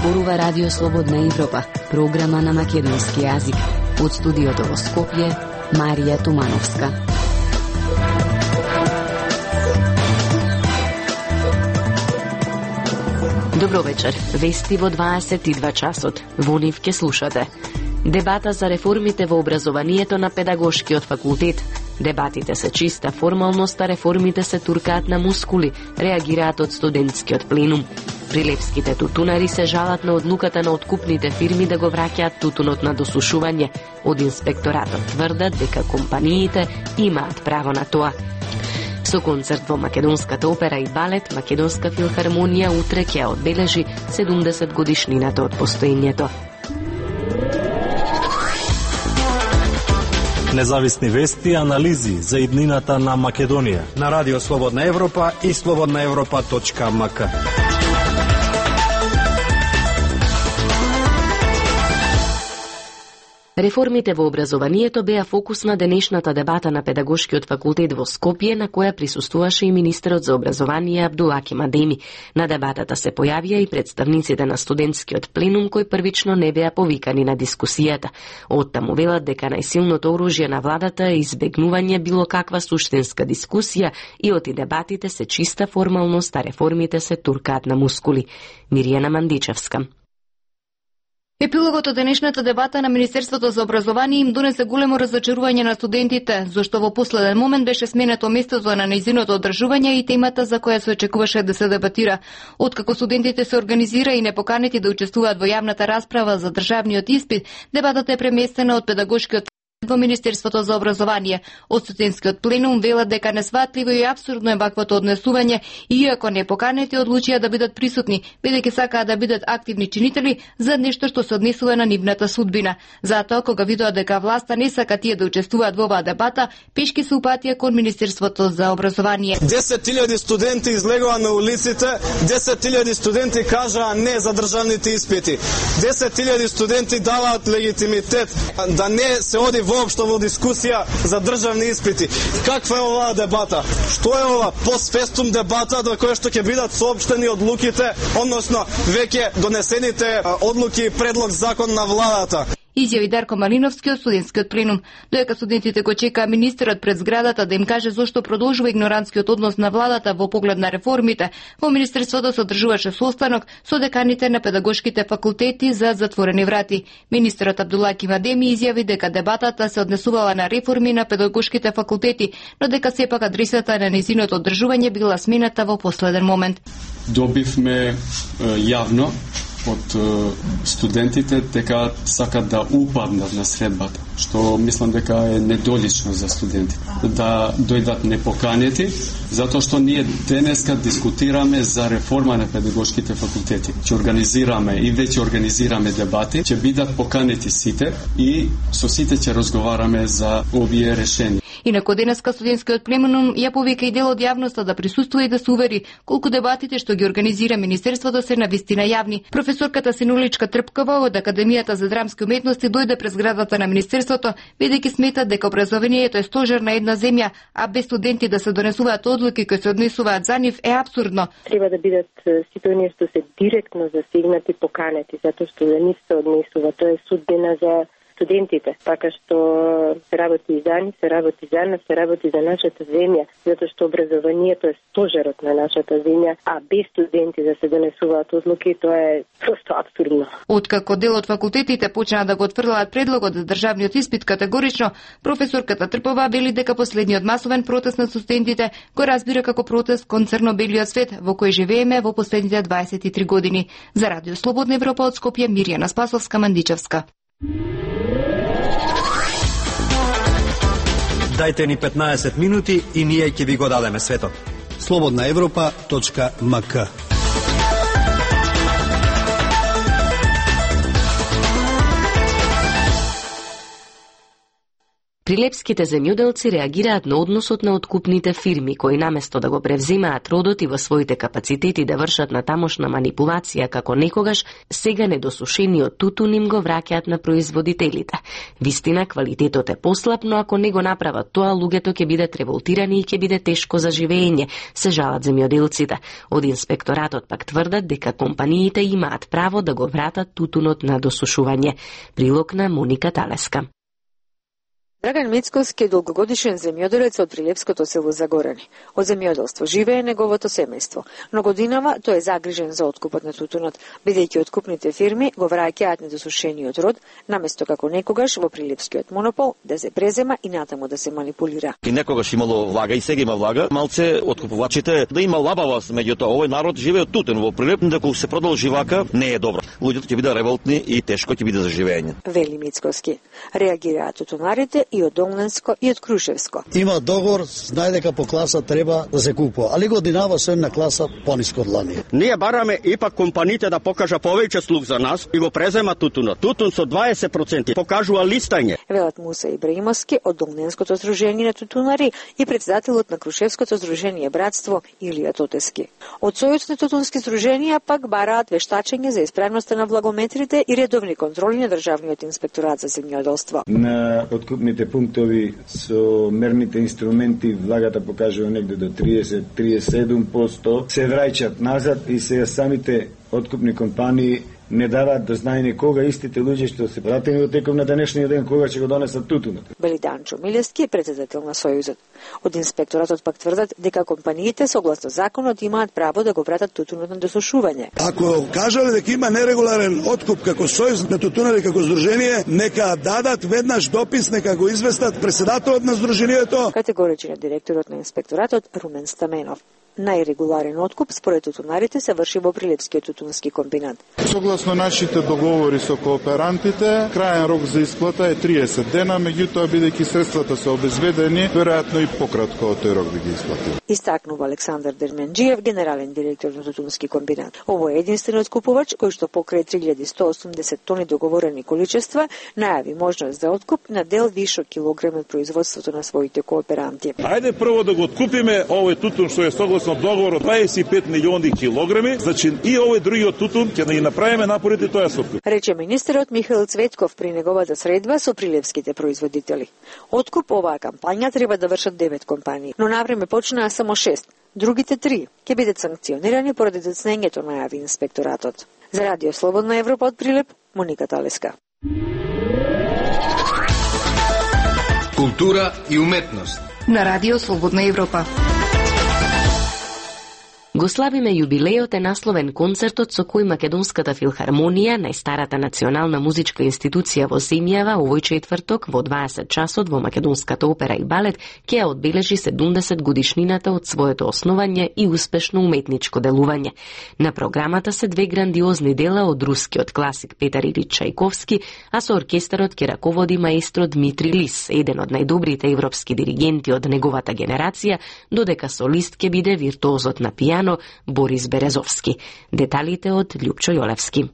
зборува Радио Слободна Европа, програма на македонски јазик. Од студиото во Скопје, Марија Тумановска. Добро вечер. Вести во 22 часот. Во нив ке слушате. Дебата за реформите во образованието на педагошкиот факултет. Дебатите се чиста формалност, а реформите се туркаат на мускули, реагираат од студентскиот пленум. Прилепските тутунари се жалат на одлуката на откупните фирми да го враќаат тутунот на досушување. Од инспекторатот тврдат дека компаниите имаат право на тоа. Со концерт во Македонската опера и балет, Македонска филхармонија утре ќе одбележи 70 годишнината од постоењето. Независни вести и анализи за иднината на Македонија на Радио Слободна Европа и slobodnaevropa.mk. Реформите во образованието беа фокус на денешната дебата на педагошкиот факултет во Скопје, на која присуствуваше и министерот за образование Абдулаки Мадеми. На дебатата се појавија и представниците на студентскиот пленум, кои првично не беа повикани на дискусијата. Оттаму велат дека најсилното оружје на владата е избегнување било каква суштинска дискусија и оти дебатите се чиста формалност, а реформите се туркаат на мускули. Миријана Мандичевска. Епилогот од денешната дебата на Министерството за образование им донесе големо разочарување на студентите, зашто во последен момент беше сменето местото на нејзиното одржување и темата за која се очекуваше да се дебатира. Откако студентите се организира и непоканети да учествуваат во јавната расправа за државниот испит, дебатата е преместена од педагошкиот во Министерството за образование. Од студентскиот пленум велат дека несватливо и апсурдно е ваквото однесување, иако непоканети одлучија да бидат присутни, бидејќи сакаат да бидат активни чинители за нешто што се однесува на нивната судбина. Затоа, кога видоа дека власта не сака тие да учествуваат во оваа дебата, пешки се упатија кон Министерството за образование. 10.000 студенти излегоа на улиците, 10.000 студенти кажаа не за државните испити. 10.000 студенти даваат легитимитет да не се оди воопшто во дискусија за државни испити. Каква е оваа дебата? Што е ова постфестум дебата до која што ќе бидат соопштени одлуките, односно веќе донесените одлуки и предлог закон на владата? Изјави Дарко Малиновски од студентскиот пленум. Доека студентите го чекаа министерот пред зградата да им каже зошто продолжува игнорантскиот однос на владата во поглед на реформите, во Министерството се одржуваше состанок со деканите на педагошките факултети за затворени врати. Министерот Абдулаки Мадеми изјави дека дебатата се однесувала на реформи на педагошките факултети, но дека сепак адресата на нејзиното одржување била смената во последен момент. Добивме јавно од студентите дека сакат да упаднат на средбата, што мислам дека е недолично за студентите. Да дојдат непоканети, затоа што ние денеска дискутираме за реформа на педагошките факултети. Ќе организираме и веќе организираме дебати, ќе бидат поканети сите и со сите ќе разговараме за овие решенија. Инаку денеска студентскиот пленум ја повика и дел од јавноста да присуствува и да се увери колку дебатите што ги организира Министерството се навистина јавни. Професорката Синуличка Трпкова од Академијата за драмски уметности дојде през зградата на Министерството, бидејќи смета дека образованието е стожер на една земја, а без студенти да се донесуваат одлуки кои се однесуваат за нив е апсурдно. Треба да бидат сите оние што се директно засегнати поканети, затоа што за нив се однесува. Тоа е судбина за студентите, така што се работи и за нив, се работи за нас, се работи за нашата земја, затоа што образованието е стожерот на нашата земја, а без студенти да се донесуваат одлуки, тоа е просто апсурдно. Откако дел од факултетите почнаа да го отфрлаат предлогот за државниот испит категорично, професорката Трпова вели дека последниот масовен протест на студентите го разбира како протест кон црно-белиот свет во кој живееме во последните 23 години. За Радио Слободна Европа од Скопје, Миријана Спасовска Мандичевска. Дајте ни 15 минути и ние ќе ви го дадеме светот. slobodnaevropa.mk. Прилепските земјоделци реагираат на односот на откупните фирми, кои наместо да го превзимаат родот и во своите капацитети да вршат на тамошна манипулација како некогаш, сега недосушениот тутун им го враќаат на производителите. Вистина, квалитетот е послаб, но ако не го направат тоа, луѓето ќе бидат револтирани и ќе биде тешко за живење, се жалат земјоделците. Од инспекторатот пак тврдат дека компаниите имаат право да го вратат тутунот на досушување. Прилог на Моника Талеска. Драган Мицковски е долгогодишен земјоделец од прилепското село Загорани. Од земјоделство живее неговото семејство, но годинава тој е загрижен за откупот на тутунот, бидејќи откупните фирми го враќаат недосушениот род, наместо како некогаш во прилепскиот монопол да се презема и натаму да се манипулира. И некогаш имало влага и сега има влага, малце откупувачите да има лабавост, меѓутоа овој народ живее од тутун во Прилеп, дека се продолжи вака не е добро. Луѓето ќе бидат револтни и тешко ќе биде за живење. Вели Мицковски. Реагираат тутунарите и од Домненско и од Крушевско. Има договор, знае дека по класа треба да се купува, али годинава се на класа пониско од лани. Ние бараме ипак компаниите да покажа повеќе слуг за нас и го презема тутунот. Тутун со 20% покажува листање. Велат Муса Ибраимовски од Домненското здружение на тутунари и председателот на Крушевското здружение Братство Илија Тотески. Од Сојузот на тутунски здруженија пак бараат вештачење за исправноста на влагометрите и редовни контроли на државниот инспекторат за земјоделство. На откупните пунктови со мерните инструменти влагата покажува негде до 30-37%, се враќаат назад и сега самите откупни компании не даваат до знаење кога истите луѓе што се пратени во теков на денешниот ден кога ќе го донесат тутунот. Бели Данчо Милевски е председател на Сојузот. Од инспекторатот пак тврдат дека компаниите согласно законот имаат право да го вратат тутунот на досушување. Ако кажале дека има нерегуларен откуп како Сојуз на тутунари како здружение, нека дадат веднаш допис, нека го известат председателот на здружението. Категоричен е директорот на инспекторатот Румен Стаменов. Најрегуларен откуп според тутунарите се врши во Прилепскиот тутунски комбинат. Согласно нашите договори со кооперантите, краен рок за исплата е 30 дена, меѓутоа бидејќи средствата се обезбедени, веројатно и пократко од тој рок би ги исплатил. Истакнува Александар Дерменџиев, генерален директор на тутунски комбинат. Ово е единствениот купувач кој што покрај 3180 тони договорени количества најави можност за откуп на дел вишок килограми од производството на своите кооперанти. Ајде прво да го откупиме овој тутун што е согласно договор од 25 милиони килограми, значи и овој другиот тутун ќе да направиме напорите тоа се откуп. Рече министерот Михаил Цветков при неговата средба со прилепските производители. Откуп оваа кампања треба да вршат 9 компании, но навреме почнаа само 6. Другите 3 ќе бидат санкционирани поради доцнењето, најави инспекторатот. За Радио Слободна Европа од Прилеп, Моника Талеска. Култура и уметност на Радио Слободна Европа. Го славиме јубилејот е насловен концертот со кој Македонската филхармонија, најстарата национална музичка институција во земјава, овој четврток во 20 часот во Македонската опера и балет ќе ја одбележи 70 годишнината од своето основање и успешно уметничко делување. На програмата се две грандиозни дела од рускиот класик Петар Илич Чајковски, а со оркестарот ќе раководи маестро Дмитри Лис, еден од најдобрите европски диригенти од неговата генерација, додека солист ќе биде виртуозот на пијано Борис Березовски. Деталите од Љупчо Јолевски.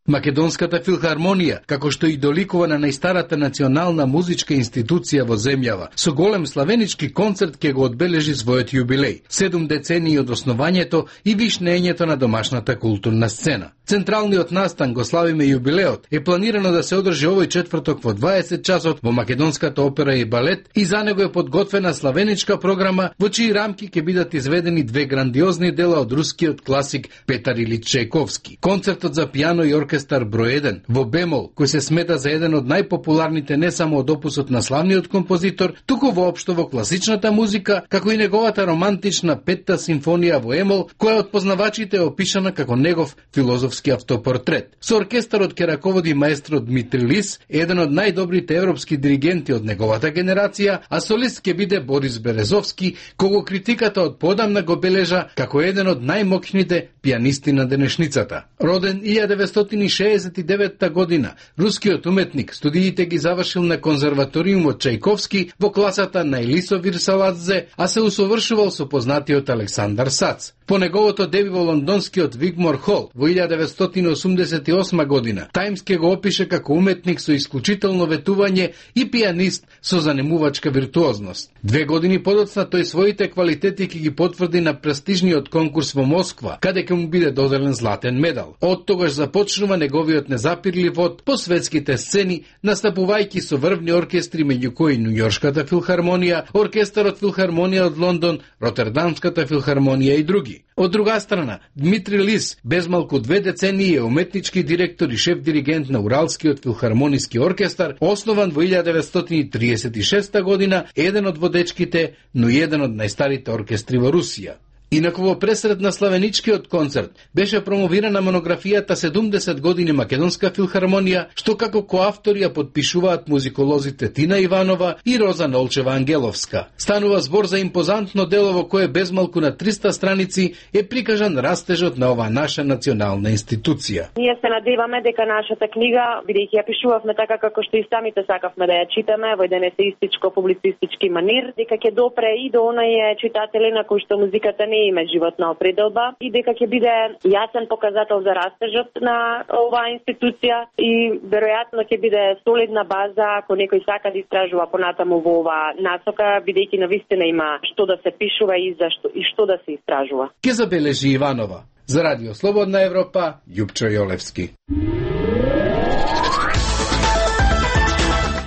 Македонската филхармонија, како што и доликува на најстарата национална музичка институција во земјава, со голем славенички концерт ќе го одбележи својот јубилеј, 7 децении од основањето и вишнењето на домашната културна сцена. Централниот настан го славиме јубилеот е планирано да се одржи овој четврток во 20 часот во Македонската опера и балет и за него е подготвена славеничка програма во чии рамки ќе бидат изведени две грандиозни дела од рускиот класик Петар Илич Чајковски. Концертот за пијано и оркестар број 1 во бемол, кој се смета за еден од најпопуларните не само од опусот на славниот композитор, туку воопшто во класичната музика, како и неговата романтична петта симфонија во емол, која од познавачите е опишана како негов филозофски автопортрет. Со оркестарот ќе раководи маестро Дмитри Лис, еден од најдобрите европски диригенти од неговата генерација, а солист ќе биде Борис Березовски, кого критиката од подамна го бележа како еден од најмоќните пијанисти на денешницата. Роден 1960 1969 година рускиот уметник студиите ги завршил на конзерваториумот Чајковски во класата на Елисо Вирсаладзе, а се усовршувал со познатиот Александар Сац. По неговото деби во лондонскиот Вигмор Хол во 1988 година, Таймс ке го опише како уметник со исклучително ветување и пианист со занемувачка виртуозност. 2 години подоцна тој своите квалитети ќе ги потврди на престижниот конкурс во Москва, каде ќе му биде доделен златен медал. Од тогаш започнува неговиот незапирлив од по светските сцени, настапувајќи со врвни оркестри, меѓу кои Њујоршката филхармонија, оркестарот Филхармонија од Лондон, Ротердамската филхармонија и други. Од друга страна, Дмитри Лис, без малку 2 децении, е уметнички директор и шеф-диригент на Уралскиот филхармониски оркестар, основан во 1936 година, еден од водечките, но и еден од најстарите оркестри во Русија. Инаку во пресред на славеничкиот концерт беше промовирана монографијата 70 години Македонска филхармонија, што како коавтори ја подпишуваат музиколозите Тина Иванова и Роза Нолчева Ангеловска. Станува збор за импозантно дело во кое без малку на 300 страници е прикажан растежот на оваа наша национална институција. Ние се надеваме дека нашата книга, бидејќи ја пишувавме така како што и самите сакавме да ја читаме во еден есеистичко-публицистички манир, дека ќе допре и до оние читатели на кои што музиката не има животна определба и дека ќе биде јасен показател за растежот на оваа институција и веројатно ќе биде солидна база ако некој сака да истражува понатаму во оваа насока, бидејќи навистина има што да се пишува и зашто и што да се истражува. Ке забележи Иванова. За Радио Слободна Европа, Јупчо Јолевски.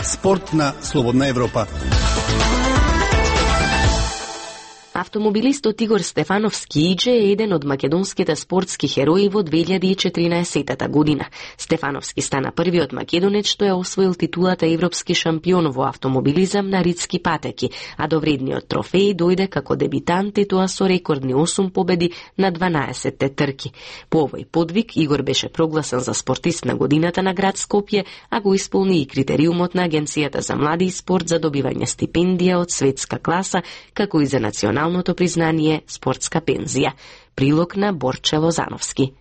Спорт на Слободна Европа. Автомобилистот Игор Стефановски Иџе е еден од македонските спортски херои во 2014 година. Стефановски стана првиот македонец што ја освоил титулата европски шампион во автомобилизам на ридски патеки, а до вредниот трофеј дојде како дебитант и тоа со рекордни 8 победи на 12 трки. По овој подвиг Игор беше прогласен за спортист на годината на град Скопје, а го исполни и критериумот на Агенцијата за млади и спорт за добивање стипендија од светска класа, како и за националното признание спортска пензија. Прилог на Борче Лозановски.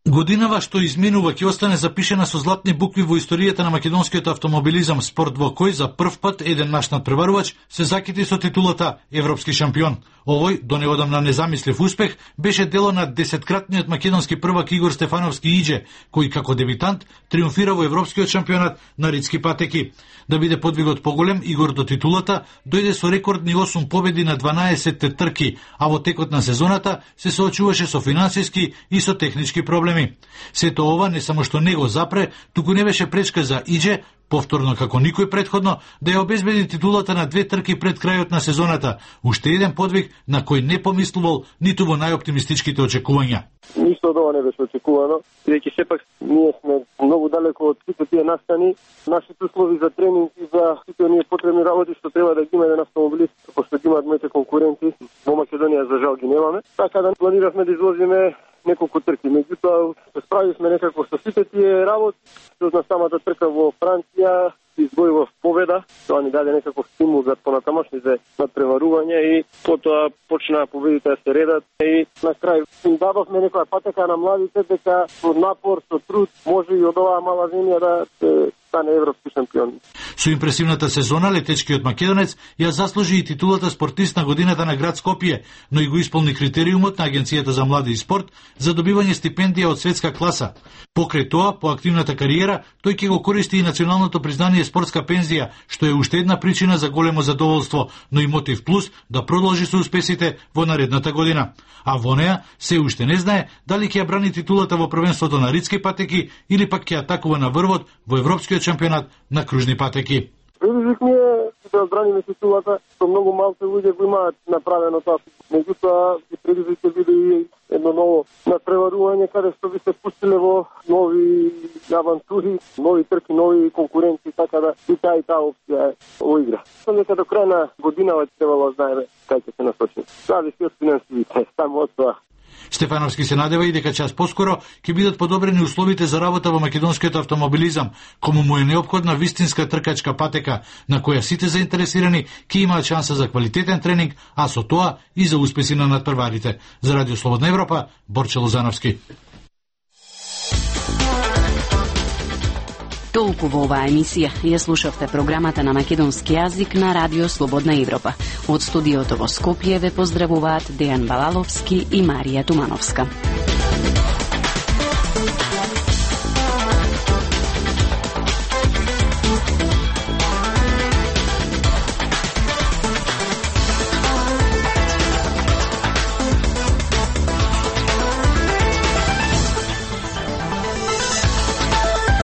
Годинава што изминува ќе остане запишена со златни букви во историјата на македонскиот автомобилизам, спорт во кој за прв пат еден наш надпреварувач се закити со титулата европски шампион. Овој, до неодамна незамислив успех, беше дело на 10-кратниот македонски првак Игор Стефановски Иџе, кој како дебитант триумфира во европскиот шампионат на ридски патеки. Да биде подвигот поголем, Игор до титулата дојде со рекордни 8 победи на 12 трки, а во текот на сезоната се соочуваше со финансиски и со технички проблеми. Сето ова не само што не го запре, туку не беше пречка за Иџе, повторно како никој предходно, да ја обезбеди титулата на 2 трки пред крајот на сезоната, уште еден подвиг на кој не помислувал ниту во најоптимистичките очекувања. Ништо од ова не беше очекувано, бидејќи сепак ние сме многу далеко од сите тие настани, нашите услови за тренинг и за сите оние потребни работи што треба да ги има еден автомобилист, како што ги имаат моите конкуренти, во Македонија за жал ги немаме. Така да планиравме да изложиме неколку трки. Меѓутоа, се справивме некако со сите тие работи, што на самата трка во Франција избојува победа, тоа ни даде некаков стимул за понатамошните надпреварување и потоа почнаа победите да се редат и на крај им дадовме некоја патека на младите дека со напор, со труд може и од оваа мала земја да се стане европски шампион. Со импресивната сезона летечкиот македонец ја заслужи и титулата спортист на годината на град Скопје, но и го исполни критериумот на Агенцијата за млади и спорт за добивање стипендија од светска класа. Покрај тоа, по активната кариера, тој ќе го користи и националното признание спортска пензија, што е уште една причина за големо задоволство, но и мотив плюс да продолжи со успесите во наредната година. А во неа се уште не знае дали ќе ја брани титулата во првенството на ридски патеки или пак ќе атакува на врвот во европскиот шампионат на кружни патеки. Предизвик ми е да одбраниме титулата, со многу малку луѓе го имаат направено тоа. Меѓутоа, и предизвик ќе биде и едно ново надпреварување, каде што би се пустиле во нови авантури, нови трки, нови конкуренти, така да и таа опција во игра. Сам дека до крај на годинава требало да знаеме кај ќе се насочиме. Зависи од финансивите, само од тоа. Стефановски се надева и дека час поскоро ќе бидат подобрени условите за работа во македонскиот автомобилизам, кому му е неопходна вистинска тркачка патека, на која сите заинтересирани ќе имаат шанса за квалитетен тренинг, а со тоа и за успеси на надпреварите. За Радио Слободна Европа, Борче Лозановски. Толку во оваа емисија. Ја слушавте програмата на македонски јазик на Радио Слободна Европа. Од студиото во Скопје ве поздравуваат Дејан Балаловски и Марија Тумановска.